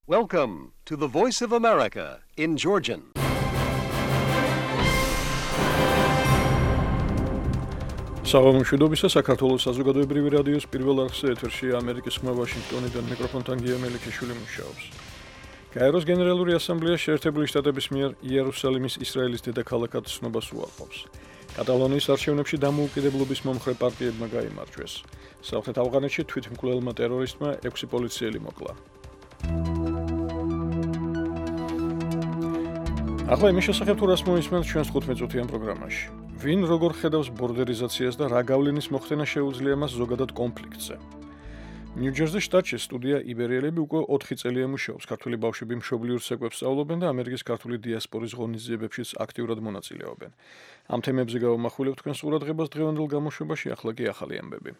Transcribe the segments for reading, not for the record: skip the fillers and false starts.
Welcome to the Voice of America in Georgian. საღამოშვიდობისა საქართველოს საზოგადოებრივი რადიოს პირველ არხზე ეთერში ამერიკის ხმა ვაშინგტონიდან მიკროფონთან გია მელიქიშვილი მუშაობს. გაეროს გენერალური ასამბლეა შეერთებული შტატების მიერ იერუსალიმის ისრაელის დედაქალაქად ცნობას უარყოფს. კატალონიის არჩევნებში დამოუკიდებლობის მომხრე პარტიებმა გაიმარჯვეს. სამხრეთ ავღანეთში თვითმკვლელმა ტერორისტმა 6 პოლიციელი მოკლა. ახლა იმის შესახებ თუ რას მოისმენთ ჩვენს 15-წუთიან პროგრამაში. ვინ როგორ ხედავს ბორდერიზაციას და რა გავლენის მოხდენა შეუძლია მას ზოგადად კონფლიქტზე. ნიუ-ჯერზის შტატში სტუდია იბერიელები უკვე 4 წელია მუშაობს. ქართული ბავშვები მშობლიურ ცეკვებს სწავლობენ და ამერიკის ქართული დიასპორის ღონისძიებებშიც აქტიურად მონაწილეობენ. ამ თემებზე გავამახვილებთ თქვენს ყურადღებას დღევანდელ გამოშვებაში, ახლა კი ახალი ამბები.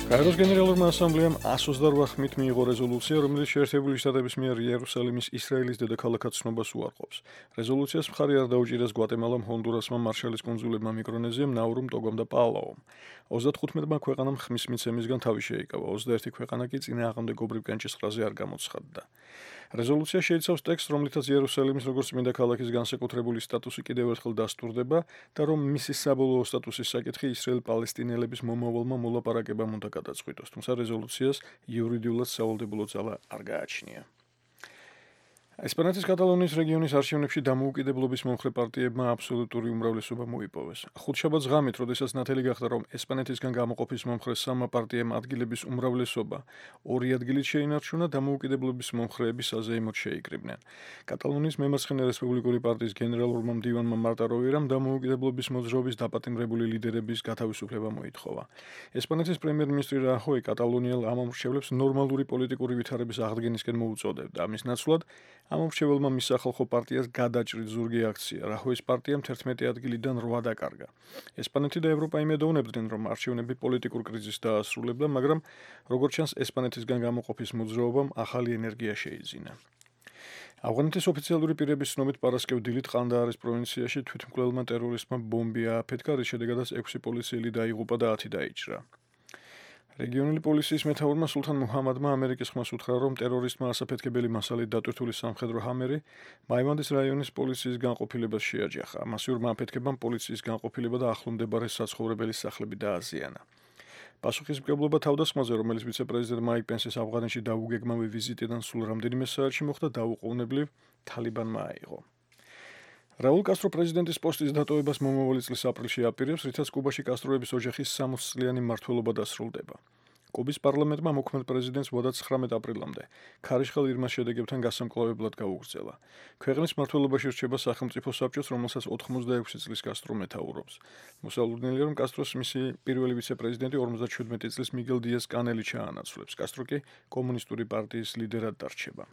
გაეროს გენერალურმა ასამბლეამ 128 ხმით მიიღო რეზოლუცია, რომელიც შეერთებული შტატების მიერ იერუსალიმის ისრაელის დედაქალაქად ცნობას უარყოფს. რეზოლუციას მხარი არ დაუჭირეს გვატემალამ, ჰონდურასმა, მარშალის კუნძულებმა, მიკრონეზიამ, ნაურუმ, ტოგომ და პალაომ. 35-მა ქვეყანამ ხმის მიცემისგან თავი შეიკავა, 21 ქვეყანა კი წინააღმდეგობრივ კენჭისყრაზე არ გამოცხადდა. რეზოლუცია შეიცავს ტექსტს, რომლითაც იერუსალიმის როგორც წმინდა ქალაქის განსაკუთრებული სტატუსი კიდევ ერთხელ დასტურდება და რომ მისი საბოლოო სტატუსის საკითხი ისრაელ-პალესტინელების მომავალმა მოლაპარაკებამ უნდა გადაწყვიტოს, თუმცა რეზოლუციას იურიდიულად სავალდებულო ძალა არ გააჩნია. ესპანეთის კატალონიის რეგიონის არჩევნებში დამოუკიდებლობის მომხრე პარტიებმა აბსოლუტური უმრავლესობა მოიპოვეს. ხუთშაბათს ღამით, როდესაც ნათელი გახდა, რომ ესპანეთისგან გამოყოფის მომხრე სამმა პარტიამ ადგილების უმრავლესობა 2 ადგილით შეინარჩუნა, დამოუკიდებლობის მომხრეები საზეიმოდ შეიკრიბნენ. კატალონიის მემარცხენე რესპუბლიკური პარტიის გენერალურმა მდივანმა მარტა როვერამ დამოუკიდებლობის მოძრაობის დაპატიმრებული ლიდერების გათავისუფლება მოითხოვა. ესპანეთის პრემიერ-მინისტრი რაჰოი კატალონიელ ამომრჩევლებს ნორმალური პოლიტიკური ვითარების აღდგენისკენ მოუწოდებდა. ამის ნაცვლად ამომრჩეველმა მის სახალხო პარტიას გადაჭრით ზურგი აქცია. რაჰოის პარტიამ 11 ადგილიდან 8 დაკარგა. ესპანეთი და ევროპა იმედოვნებდნენ, რომ არჩევნები პოლიტიკურ კრიზისს დაასრულებდა, მაგრამ როგორც ჩანს, ესპანეთისგან გამოყოფის მოძრაობამ ახალი ენერგია შეიძინა. ავღანეთის ოფიციალური პირების ცნობით პარასკევ-დილით ყანდაარის პროვინციაში თვითმკვლელმა ტერორისტმა ბომბი ააფეთქა, რის შედეგადაც 6 პოლიციელი დაიღუპა და 10 დაიჭრა. რეგიონული პოლიციის მეთაურმა სულთან მუჰამადმა ამერიკის ხმას უთხრა, რომ ტერორისტმა ასაფეთქებელი მასალით დატვირთული სამხედრო ჰამერი მაივანდის რაიონის პოლიციის განყოფილებას შეაჯახა. მასიურმა აფეთქებამ პოლიციის განყოფილება და ახლომდებარე საცხოვრებელი სახლები დააზიანა. პასუხისმგებლობა თავდასხმაზე, რომელიც ვიცე-პრეზიდენტ მაიკ პენსის ავღანეთში დაუგეგმავი ვიზიტიდან სულ რამდენიმე საათში მოხდა, დაუყოვნებლივ თალიბანმა აიღო. რაულ კასტრო პრეზიდენტის პოსტის დატოვებას მომავალი წლის აპრილში აპირებს, რითაც კუბაში კასტროების ოჯახის 60-წლიანი მმართველობა დასრულდება. კუბის პარლამენტმა მოქმედ პრეზიდენტს ვადა 19 აპრილამდე ქარიშხალ ირმას შედეგებთან გასამკლავებლად გაუგრძელა. ქვეყნის მმართველობაში რჩება სახელმწიფო საბჭოს, რომელსაც 86 წლის კასტრო მეთაურობს. მოსალოდნელია, რომ კასტროს მისი პირველი ვიცე-პრეზიდენტი 57 წლის მიგელ დიას კანელი ჩაანაცვლებს. კასტრო კი კომუნისტური პარტიის ლიდერად დარჩება.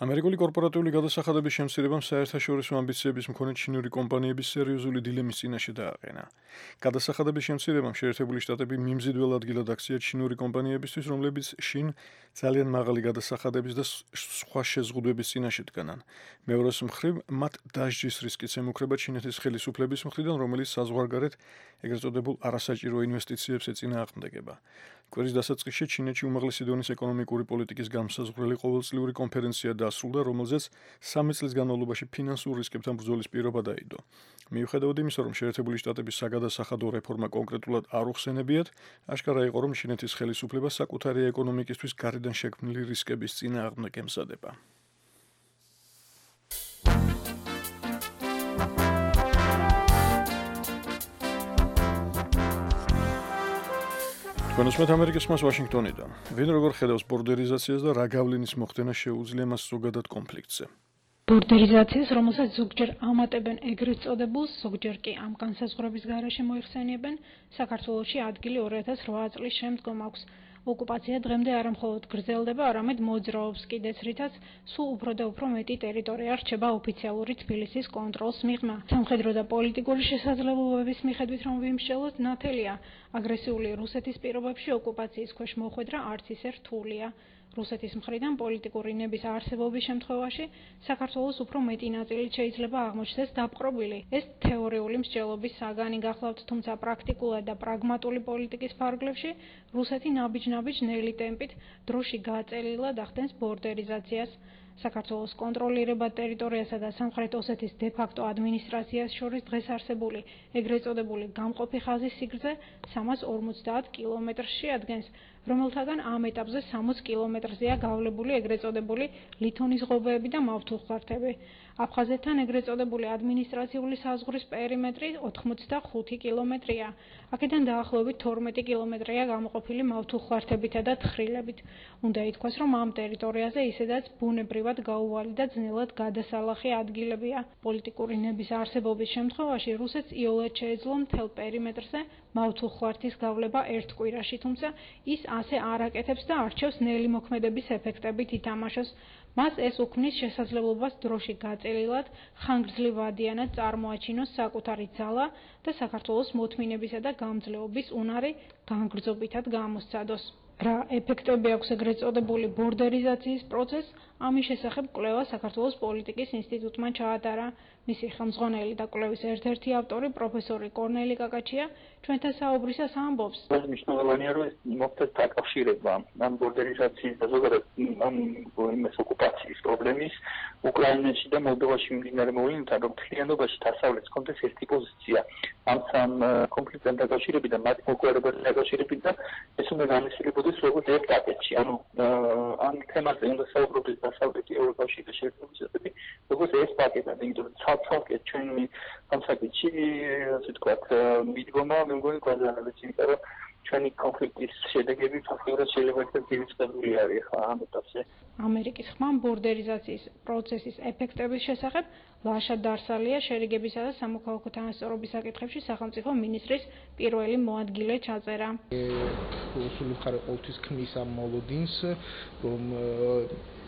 ამერიკული კორპორატიული გადასახადების შემცირებამ საერთაშორისო ამბიციების მქონე ჩინური კომპანიების სერიოზული დილემის წინაშე დააყენა. გადასახადების შემცირებამ შეერთებული შტატები მიმზიდველ ადგილად აქცია ჩინური კომპანიებისთვის, რომლებიც შინ ძალიან მაღალი გადასახადების და სხვა შეზღუდვების წინაშე დგანან. მეორეს მხრივ, მათ დასჯის რისკიც ემუქრება ჩინეთის ხელისუფლების მხრიდან, რომელიც საზღვარგარეთ ეგრეთ წოდებულ არასაჭირო ინვესტიციებს ეწინააღმდეგება. კვირის დასაწყისში ჩინეთში უმაღლესი დონის ეკონომიკური პოლიტიკის განმსაზღვრელი ყოველწლიური კონფერენცია დასრულდა, რომელზეც 3 წლის განმავლობაში ფინანსურ რისკებთან ბრძოლის პირობა დაიდო. მიუხედავად იმისა, რომ შეერთებული შტატების საგადასახადო რეფორმა კონკრეტულად არ უხსენებიათ, აშკარა იყო, რომ ჩინეთის ხელისუფლება საკუთარი ეკონომიკისთვის გარედან შექმნილი რისკების წინააღმდეგ ემზადება. თქვენ უსმენთ ამერიკის ხმას ვაშინგტონიდან. ვინ როგორ ხედავს ბორდერიზაციას და რა გავლენის მოხდენა შეუძლია მას ზოგადად კონფლიქტზე. ბორდერიზაციას, რომელსაც ზოგჯერ ამატებენ ეგრეთ წოდებულს, ზოგჯერ კი ამ განსაზღვრების გარეშე მოიხსენიებენ, საქართველოში ადგილი 2008 წლის შემდგომ აქვს. ოკუპაცია დღემდე არა მხოლოდ გრძელდება, არამედ მოძრაობს კიდეც, რითაც სულ უფრო და უფრო მეტი ტერიტორია რჩება ოფიციალური თბილისის კონტროლს მიღმა. სამხედრო და პოლიტიკური შესაძლებლობების მიხედვით რომ ვიმსჯელოთ, ნათელია აგრესიული რუსეთის პირობებში ოკუპაციის ქვეშ მოხვედრა არც ისე რთულია. რუსეთის მხრიდან პოლიტიკური ნების არსებობის შემთხვევაში საქართველოს უფრო მეტი ნაწილით შეიძლება აღმოჩნდეს დაპყრობილი. ეს თეორიული მსჯელობის საგანი გახლავთ, თუმცა პრაქტიკულად და პრაგმატული პოლიტიკის ფარგლებში რუსეთი ნაბიჯ-ნაბიჯ ნელი ტემპით დროში გაწელილად ახდენს ბორდერიზაციას. საქართველოს კონტროლირება ტერიტორიასა და სამხრეთ ოსეთის დე-ფაქტო ადმინისტრაციას შორის დღეს არსებული ეგრეთ წოდებული გამყოფი ხაზის სიგრძე 350 კილომეტრს შეადგენს, რომელთაგან ამ ეტაპზე 60 კილომეტრზეა გავლებული ეგრეთ წოდებული ლითონის ღობეები და მავთულხარდები. აფხაზეთთან ეგრეთ წოდებული ადმინისტრაციული საზღვრის პერიმეტრი 85 კილომეტრია. აქედან დაახლოებით 12 კილომეტრია გამოყოფილი მავთულხარდებითა და თხრილებით. უნდა ითქვას, რომ ამ ტერიტორიაზე ისედაც ბუნებრივად გაუვალი და ძნელად გადასალახი ადგილებია. პოლიტიკური ნების არსებობის შემთხვევაში რუსეთს იოლად შეეძლო მთელ პერიმეტრზე მავთულხარდის გავლება ერთ კვირაში, თუმცა ის ასე არ აკეთებს და არჩევს ნელი მოქმედების ეფექტებით ითამაშოს. მას ეს უქმნის შესაძლებლობას დროში გაწელილად, ხანგრძლივადიანად წარმოაჩინოს საკუთარი ძალა და საქართველოს მოთმინებისა და გამძლეობის უნარი განგრძობითად გამოსცადოს. რა ეფექტები აქვს ეგრეთ წოდებული ბორდერიზაციის პროცესს, ამის შესახებ კვლევა საქართველოს პოლიტიკის ინსტიტუტმა ჩაატარა. მისი ხელმძღვანელი და კვლევის ერთ-ერთი ავტორი პროფესორი კორნელი კაკაჩია ჩვენთან საუბრისას ამბობს. მნიშვნელოვანია, რომ მოხდეს დაკავშირება ამ ბორდერიზაციის და ზოგადად ამ ოკუპაციის პრობლემის უკრაინაში და მოლდოვაში მიმდინარე მოვლენებთან, რომ მთლიანობაში დასავლეთს კონდეს ერთი პოზიცია ამ სამ კონფლიქტთან დაკავშირებით და მათ მოგვარებასთან დაკავშირებით და ეს უნდა განხილებოდეს როგორც ერთ პაკეტში. ანუ ამ თემაზე უნდა საუბრობდეს დასავლეთი ევროპაში და შეერთებული შტატები, როგორც ეს პაკეტად, იმიტომ რომ ცალკე ჩვენი განსაკუთრებით, ასე ვთქვათ, მიდგომა მე მგონი გვაზარებს, იმიტომ რომ ჩვენი კონფლიქტის შედეგები ფაქტობრივად შეიძლება ერთ-ერთი ძირითადად არის ხა ამ ეტაპზე. ამერიკის ხმამ ბორდერიზაციის პროცესის ეფექტების შესახებ ლაშა დარსალია შერიგებისა და სამოქალაქო თანასწორობის საკითხებში სახელმწიფო მინისტრის პირველი მოადგილე ჩაწერა. რუსული მხარე ყოველთვის ქმნის ამ მოლოდინს, რომ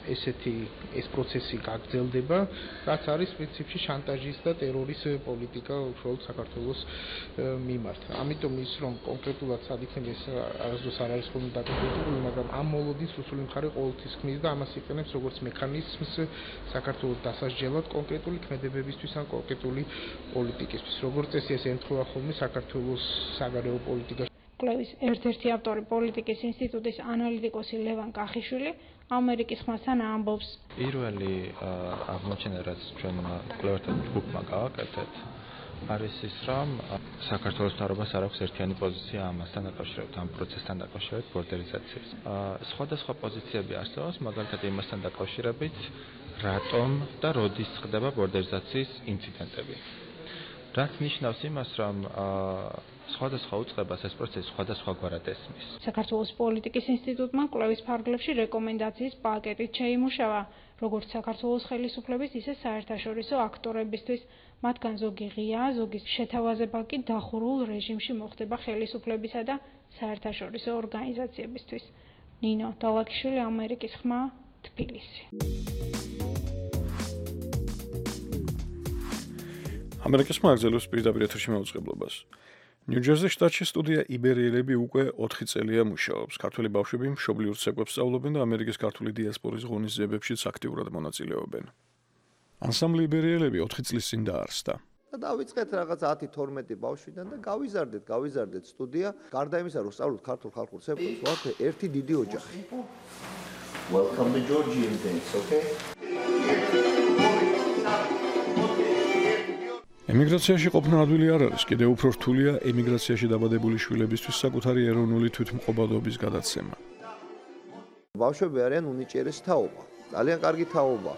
ეს პროცესი გაგრძელდება, რაც არის პრინციპში შანტაჟის და ტერორის პოლიტიკა უშუალოდ საქართველოს მიმართ. ამიტომ ის რომ კონკრეტულად სად იქნება ეს არასდროს არ არის ხოლმე დაკონკრეტებული, მაგრამ ამ მოლოდინს რუსული მხარე ყოველთვის ქმნის და ამას იყენებს როგორც მექანიზმს საქართველოს დასასჯელად კონკრეტული ქმედებებისთვის ან კონკრეტული პოლიტიკისთვის. როგორც წესი ეს ემთხვევა ხოლმე საქართველოს საგარეო პოლიტიკაში. კვლევის ერთ-ერთი ავტორი პოლიტიკის ინსტიტუტის ანალიტიკოსი ლევან კახიშვილი ამერიკის ხმასთან ამბობს. პირველი აღმოჩენა, რაც ჩვენმა კვლევართა ჯგუფმა გავაკეთეთ, არის ის, რომ საქართველოს მთავრობას არ აქვს ერთიანი პოზიცია ამასთან დაკავშირებით, ამ პროცესთან დაკავშირებით ბორდერიზაციის. სხვადასხვა პოზიციები არსებობს, მაგალითად იმასთან დაკავშირებით, რატომ და როდის ხდება ბორდერიზაციის ინციდენტები. რაც ნიშნავს იმას, რომ სხვადასხვა უწყებას ეს პროცესი სხვადასხვაგვარად ესმის. საქართველოს პოლიტიკის ინსტიტუტმა კვლევის ფარგლებში რეკომენდაციის პაკეტით შეიმუშავა, როგორც საქართველოს ხელისუფლების, ისე საერთაშორისო აქტორებისთვის. მათგან ზოგი ღია, ზოგი შეთავაზება კი დახურულ რეჟიმში მოხდება ხელისუფლებისა და საერთაშორისო ორგანიზაციებისთვის. ნინო დალაკიშვილი, ამერიკის ხმა, თბილისი. ამერიკის მაგზელოს პირდაპირ ეთერში მაუწყებლობას. ნიუ-ჯერზის შტატში სტუდია იბერიელები უკვე 4 წელია მუშაობს. ქართველი ბავშვები მშობლიურ ცეკვებს სწავლობენ და ამერიკის ქართული დიასპორის ღონისძიებებშიც აქტიურად მონაწილეობენ. ანსამბლი იბერიელები 4 წლის წინ დაარსდა. და დავიწყეთ რაღაც 10-12 ბავშვიდან და გავიზარდეთ სტუდია. გარდა იმისა, რომ სწავლობთ ქართულ ხალხურ ცეკვებს, ვართ ერთი დიდი ოჯახი. Welcome to Georgian things, okay? ემიგრაციაში ყოფნა ადვილი არ არის, კიდევ უფრო რთულია ემიგრაციაში დაბადებული შვილებისთვის საკუთარი ეროვნული თვითმყოფადობის გადაცემა. ბავშვები არიან უნიჭიერესი თაობა, ძალიან კარგი თაობა.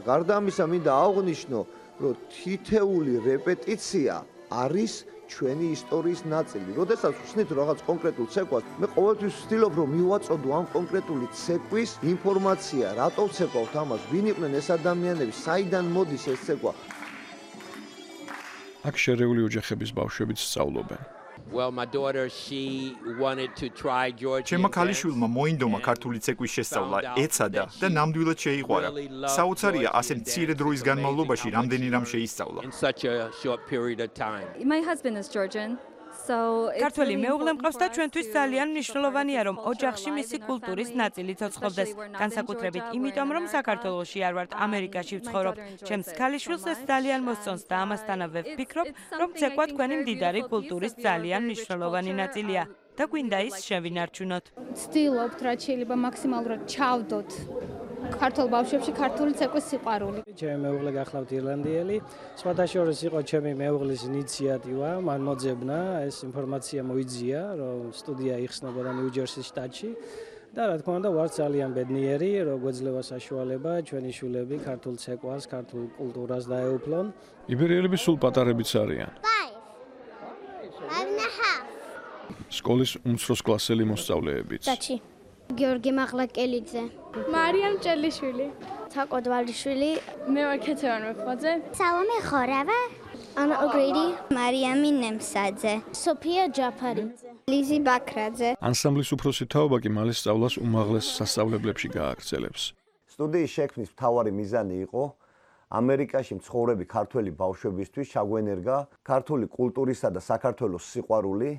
გარდა ამისა, მინდა აღვნიშნო, რომ თითეული რეპეტიცია არის ჩვენი ისტორიის ნაწილი. როდესაც ვხსნით რაღაც კონკრეტულ ცეკვას, მე ყოველთვის ვცდილობ, რომ მივაწოდო ამ კონკრეტული ცეკვის ინფორმაცია, რატო ვცეკვავთ ამას, ვინ იყვნენ ეს ადამიანები, საიდან მოდის ეს ცეკვა. აქ შერეული ოჯახების ბავშვებიც სწავლობენ. Well, my daughter, she wanted to try Georgian. ჩემმა ქალიშვილმა მოინდომა ქართული ცეკვის შესწავლა, ეცადა და ნამდვილად შეიყვარა. საოცარია, ასე მცირე დროის განმავლობაში რამდენი რამ შეისწავლა. In such a short period of time. My husband is Georgian, ქართველი მეუღლე მყავს და ჩვენთვის ძალიან მნიშვნელოვანია, რომ ოჯახში მისი კულტურის ნაწილი ცოცხლობდეს. განსაკუთრებით იმიტომ, რომ საქართველოში არ ვართ, ამერიკაში ვცხოვრობ. ჩემს ქალიშვილს ეს ძალიან მოსწონს და ამასთანავე ვფიქრობ, რომ ცეკვა თქვენი მდიდარი კულტურის ძალიან მნიშვნელოვანი ნაწილია და გვინდა ის შევინარჩუნოთ. ვცდილობთ, რაც შეიძლება მაქსიმალურად ჩავდოთ ქართულ ბავშვებში ქართული ცეკვის სიყვარული. ჩემი მეუღლე გახლავთ ირლანდიელი. სხვადასხვა იყო ჩემი მეუღლის ინიციატივა, მან მოძებნა ეს ინფორმაცია მოიძია, რომ სტუდია იხსნებოდა ნიუ-ჯერსის შტატში. და რა თქმა უნდა, ვარ ძალიან ბედნიერი, რომ გვეძლევა საშუალება ჩვენი შვილები ქართულ ცეკვას, ქართულ კულტურას დაეუფლონ. იბერიელები სულ პატარებიც არიან. სკოლის უმცროს კლასელი მოსწავლეებიც. გიორგი მაღლაკელიძე, მარიამ ჭელიშვილი, თაკო დვალიშვილი, მე ვარ ქეთევან მეფხოძე, სალომე ხორავა, ანა ოგრიდი, მარიამი ნემსაძე, სოფია ჯაფარი, ლიზი ბაქრაძე. ანსამბლის უფროსი თაობა კი მალე სწავლას უმაღლეს სასწავლებლებში გააგრძელებს. სტუდიის შექმნის მთავარი მიზანი იყო ამერიკაში მცხოვრები ქართველი ბავშვებისთვის ჩაგვენერგა ქართული კულტურისა და საქართველოს სიყვარული.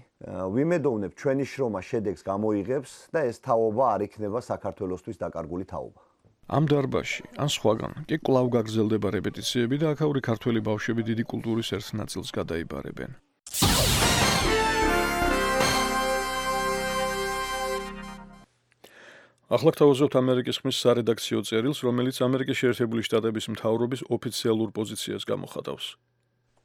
ვიმედოვნებ ჩვენი შრომა შედეგს გამოიღებს და ეს თაობა არ იქნება საქართველოსთვის დაკარგული თაობა. ამ დარბაზში ან სხვაგან კი კვლავ გაგრძელდება რეპეტიციები და აქაური ქართველი ბავშვები დიდი კულტურის ერთ ნაწილს გადაიბარებენ. ახლა გთავაზობთ ამერიკის ხმის სარედაქციო წერილს, რომელიც ამერიკის შეერთებული შტატების მთავრობის ოფიციალურ პოზიციას გამოხატავს.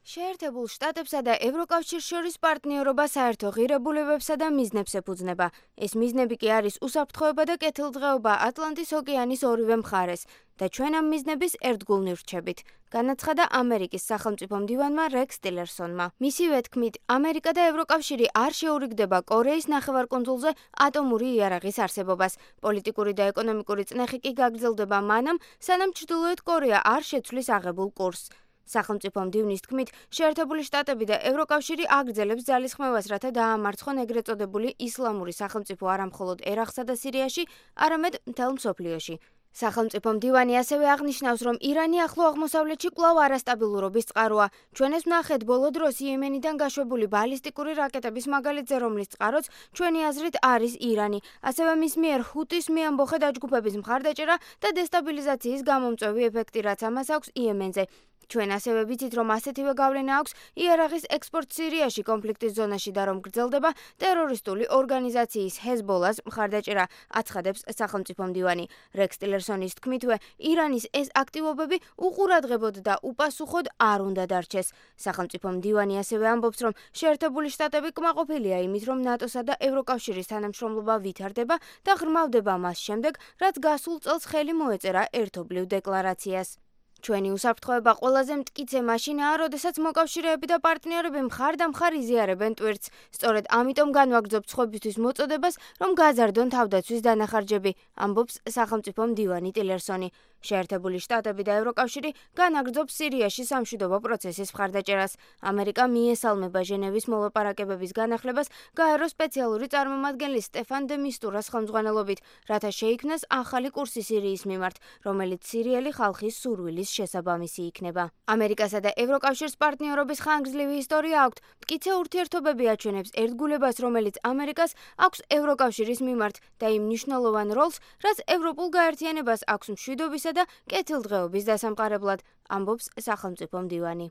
შეერთებულ შტატებსა და ევროკავშირს შორის პარტნიორობა საერთო ღირებულებებსა და მიზნებს ეფუძნება. ეს მიზნები კი არის უსაფრთხოება და კეთილდღეობა ატლანტის ოკეანის ორივე მხარეს და ჩვენ ამ მიზნების ერთგულნი ვრჩებით, განაცხადა ამერიკის სახელმწიფო მდივანმა რექს ტილერსონმა. მისივე თქმით, ამერიკა და ევროკავშირი არ შეურიგდება კორეის ნახევარკუნძულზე ატომური იარაღის არსებობას. პოლიტიკური და ეკონომიკური წნეხი კი გაგრძელდება მანამ, სანამ ჩრდილოეთ კორეა არ შეცვლის აღებულ კურსს. სახელმწიფო მდივნის თქმით, შეერთებული შტატები და ევროკავშირი აგრძელებს ძალისხმევას, რათა დაამარცხონ ეგრეთ წოდებული ისლამური სახელმწიფო არა მხოლოდ ერაყსა და სირიაში, არამედ მთელ მსოფლიოში. სახელმწიფო მდივანი ასევე აღნიშნავს, რომ ირანი ახლო აღმოსავლეთში კვლავ არასტაბილურობის წყაროა. ჩვენ ეს ვნახეთ ბოლო დროს იემენიდან გაშვებული ბალისტიკური რაკეტების მაგალითზე, რომლის წყაროც ჩვენი აზრით არის ირანი. ასევე მის მიერ ჰუტის მეამბოხე დაჯგუფების მხარდაჭერა და დესტაბილიზაციის გამომწვევი ეფექტი, რაც ამას აქვს იემენზე. ჩვენ ასევე ვიცით, რომ ასეთივე გავლენა აქვს იარაღის ექსპორტს სირიაში კონფლიქტის ზონაში და რომ გრძელდება ტერორისტული ორგანიზაციის ჰეზბოლას მხარდაჭერა, აცხადებს სახელმწიფო მდივანი. რექს ტილერსონის თქმითვე, ირანის ეს აქტივობები უყურადღებოდ და უპასუხოდ არ უნდა დარჩეს. სახელმწიფო მდივანი ასევე ამბობს, რომ შეერთებული შტატები კმაყოფილია იმით, რომ ნატოსა და ევროკავშირის თანამშრომლობა ვითარდება და ღრმავდება მას შემდეგ, რაც გასულ წელს ხელი მოეწერა ერთობლივ დეკლარაციას. ჩვენი უსაფრთხოება ყველაზე მტკიცე მაშინაა, როდესაც მოკავშირეები და პარტნიორები მხარ-დამხარ იზიარებენ ტვირთს. სწორედ ამიტომ განვაგრძობთ სხვებისთვის მოწოდებას, რომ გაზარდონ თავდაცვის დანახარჯები, ამბობს სახელმწიფო მდივანი ტილერსონი. შეერთებული შტატები და ევროკავშირი განაგრძობს სირიაში სამშვიდობო პროცესის მხარდაჭერას. ამერიკა მიესალმება ჟენევის მოლაპარაკებების განახლებას გაერო სპეციალური წარმომადგენლის სტეფან დე მისტურას ხელმძღვანელობით, რათა შეიქმნას ახალი კურსი სირიის მიმართ, რომელიც სირიელი ხალხის სურვილის შესაბამისი იქნება. ამერიკასა და ევროკავშირს პარტნიორობის ხანგრძლივი ისტორია აქვთ. მტკიცე ურთიერთობები აჩვენებს ერთგულებას, რომელიც ამერიკას აქვს ევროკავშირის მიმართ და იმ მნიშვნელოვან როლს, რაც ევროპულ გაერთიანებას აქვს მშვიდობისა და კეთილდღეობის დასამყარებლად, ამბობს სახელმწიფო მდივანი.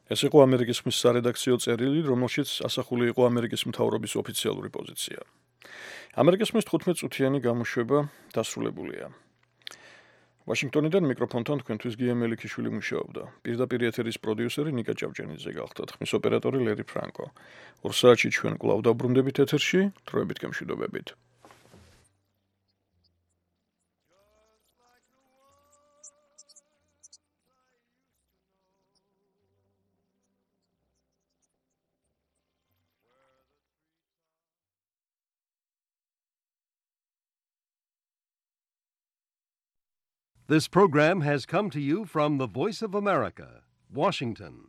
ეს იყო ამერიკის ხმის სარედაქციო წერილი, რომელშიც ასახული იყო ამერიკის მთავრობის ოფიციალური პოზიცია. ამერიკის ხმის 15 წუთიანი გამოშვება დასრულებულია. ვაშინგტონიდან მიკროფონთან თქვენთვის გია მელიქიშვილი მუშაობდა. პირდაპირ ეთერის პროდიუსერი ნიკა ჭავჭენიძე გახლდათ, ხმის ოპერატორი ლერი ფრანკო. 2 საათში ჩვენ კვლავ დაბრუნდებით ეთერში, დროებით გემშვიდობებით. This program has come to you from the Voice of America, Washington.